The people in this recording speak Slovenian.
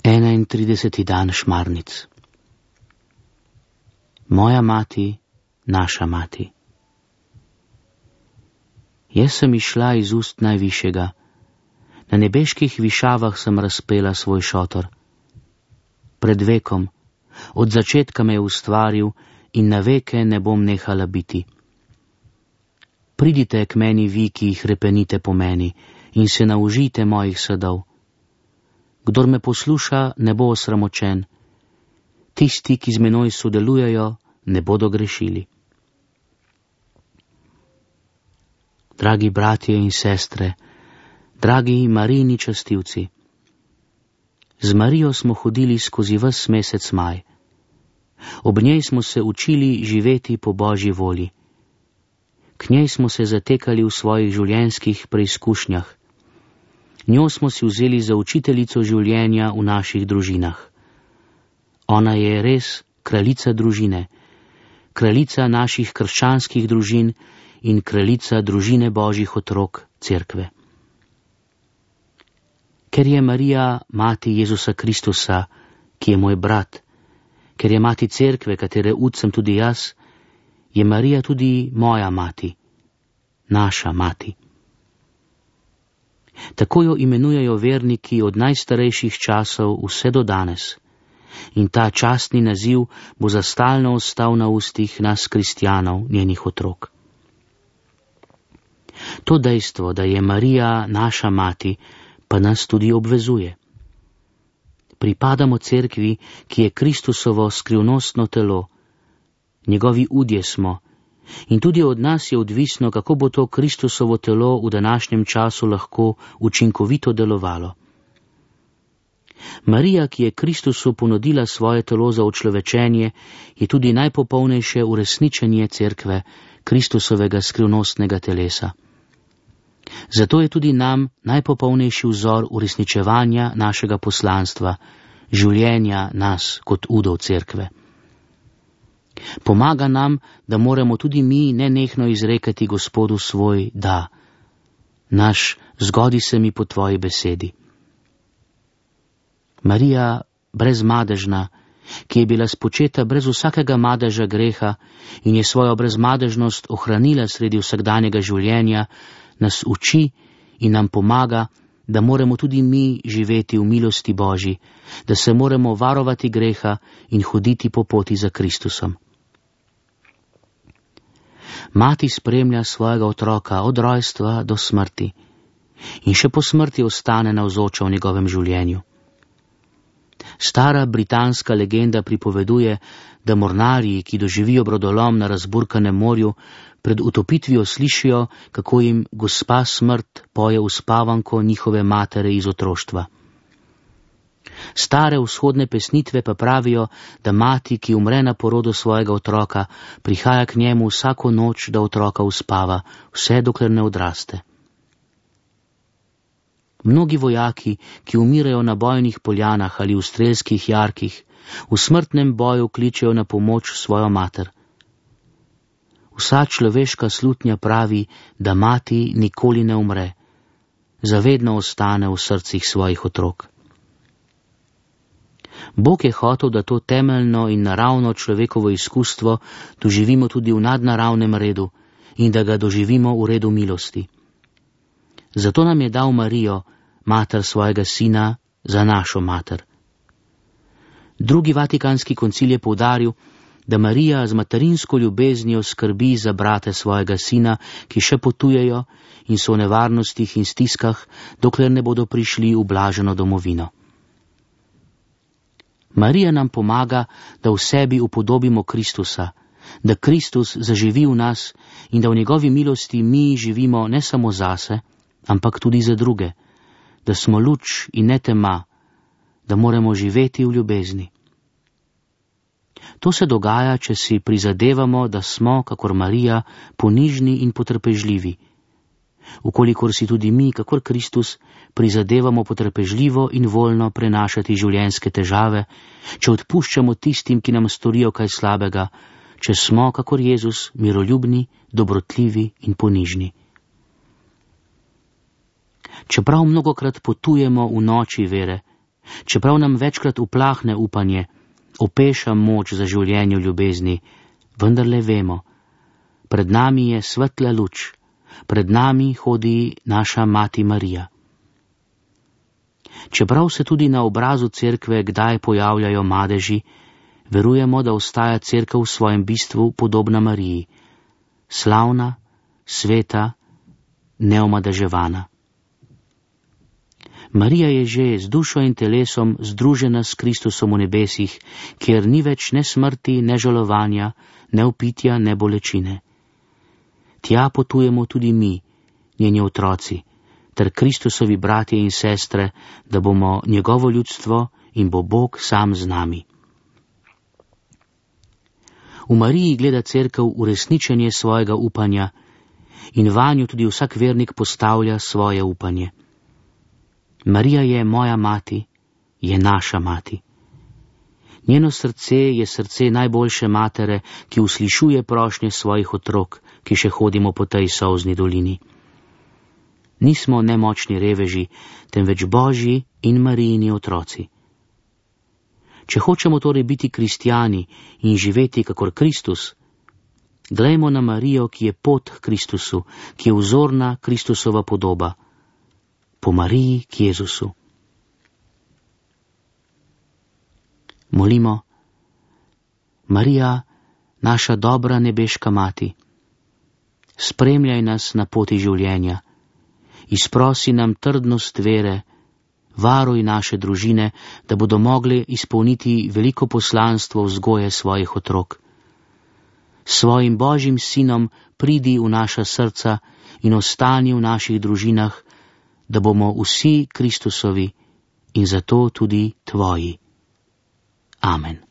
31. dan Šmarnic. Moja mati, naša mati. Jaz sem išla iz ust najvišjega, na nebeških višavah sem razpela svoj šotor. Pred vekom, od začetka me je ustvaril in na veke ne bom nehala biti. Pridite k meni vi, ki jih repenite po meni, in se naužite mojih sadov. Kdor me posluša, ne bo osramočen. Tisti, ki z menoj sodelujejo, ne bodo grešili. Dragi bratje in sestre, dragi Marijini častilci, z Marijo smo hodili skozi ves mesec maj. Ob njej smo se učili živeti po Božji volji. K njej smo se zatekali v svojih življenjskih preizkušnjah. Njo smo si vzeli za učiteljico življenja v naših družinah. Ona je res kraljica družine, kraljica naših krščanskih družin in kraljica družine Božjih otrok, Cerkve. Ker je Marija mati Jezusa Kristusa, ki je moj brat, ker je mati Cerkve, katere ud sem tudi jaz, je Marija tudi moja mati, naša mati. Tako jo imenujejo verniki od najstarejših časov vse do danes, in ta častni naziv bo za stalno ostal na ustih nas kristjanov, njenih otrok. To dejstvo, da je Marija naša mati, pa nas tudi obvezuje. Pripadamo Cerkvi, ki je Kristusovo skrivnostno telo, njegovi udje smo, in tudi od nas je odvisno, kako bo to Kristusovo telo v današnjem času lahko učinkovito delovalo. Marija, ki je Kristusu ponudila svoje telo za učlovečenje, je tudi najpopolnejše uresničenje Cerkve, Kristusovega skrivnostnega telesa. Zato je tudi nam najpopolnejši vzor uresničevanja našega poslanstva, življenja nas kot udov Cerkve. Pomaga nam, da moramo tudi mi nenehno izrekati Gospodu svoj da. Naš zgodi se mi po tvoji besedi. Marija, brezmadežna, ki je bila spočeta brez vsakega madeža greha in je svojo brezmadežnost ohranila sredi vsakdanjega življenja, nas uči in nam pomaga, da moramo tudi mi živeti v milosti Božji, da se moramo varovati greha in hoditi po poti za Kristusom. Mati spremlja svojega otroka od rojstva do smrti in še po smrti ostane navzoča v njegovem življenju. Stara britanska legenda pripoveduje, da mornarji, ki doživijo brodolom na razburkanem morju, pred utopitvijo slišijo, kako jim gospa smrt poje uspavanko njihove matere iz otroštva. Stare vzhodne pesnitve pa pravijo, da mati, ki umre na porodu svojega otroka, prihaja k njemu vsako noč, da otroka uspava, vse dokler ne odraste. Mnogi vojaki, ki umirajo na bojnih poljanah ali v strelskih jarkih, v smrtnem boju kličejo na pomoč svojo mater. Vsa človeška slutnja pravi, da mati nikoli ne umre, zavedno ostane v srcih svojih otrok. Bog je hotel, da to temeljno in naravno človekovo izkustvo doživimo tudi v nadnaravnem redu in da ga doživimo v redu milosti. Zato nam je dal Marijo, mater svojega sina, za našo mater. Drugi vatikanski koncil je poudaril, da Marija z materinsko ljubeznijo skrbi za brate svojega sina, ki še potujejo in so v nevarnostih in stiskah, dokler ne bodo prišli v blaženo domovino. Marija nam pomaga, da v sebi upodobimo Kristusa, da Kristus zaživi v nas in da v njegovi milosti mi živimo ne samo zase, ampak tudi za druge, da smo luč in ne tema, da moramo živeti v ljubezni. To se dogaja, če si prizadevamo, da smo, kakor Marija, ponižni in potrpežljivi. Ukolikor si tudi mi, kakor Kristus, prizadevamo potrpežljivo in voljno prenašati življenjske težave, če odpuščamo tistim, ki nam storijo kaj slabega, če smo, kakor Jezus, miroljubni, dobrotljivi in ponižni. Čeprav mnogokrat potujemo v noči vere, Čeprav nam večkrat uplahne upanje, opeša moč za življenje v ljubezni, vendarle vemo, pred nami je svetla luč, pred nami hodi naša mati Marija. Čeprav se tudi na obrazu cerkve kdaj pojavljajo madeži, verujemo, da ostaja cerkev v svojem bistvu podobna Mariji, slavna, sveta, neomadeževana. Marija je že z dušo in telesom združena s Kristusom v nebesih, kjer ni več ne smrti, ne žalovanja, ne vpitja, ne bolečine. Tja potujemo tudi mi, njeni otroci, ter Kristusovi bratje in sestre, da bomo njegovo ljudstvo in bo Bog sam z nami. V Mariji gleda cerkev uresničenje svojega upanja in vanjo tudi vsak vernik postavlja svoje upanje. Marija je moja mati, je naša mati. Njeno srce je srce najboljše matere, ki uslišuje prošnje svojih otrok, ki še hodimo po tej solzni dolini. Nismo nemočni reveži, temveč Božji in Marijini otroci. Če hočemo torej biti kristjani in živeti kakor Kristus, glejmo na Marijo, ki je pot k Kristusu, ki je vzorna Kristusova podoba, po Mariji k Jezusu. Molimo, Marija, naša dobra nebeška mati, spremljaj nas na poti življenja, izprosi nam trdnost vere, varuj naše družine, da bodo mogli izpolniti veliko poslanstvo vzgoje svojih otrok. S svojim Božjim sinom pridi v naša srca in ostani v naših družinah, da bomo vsi Kristusovi in zato tudi tvoji. Amen.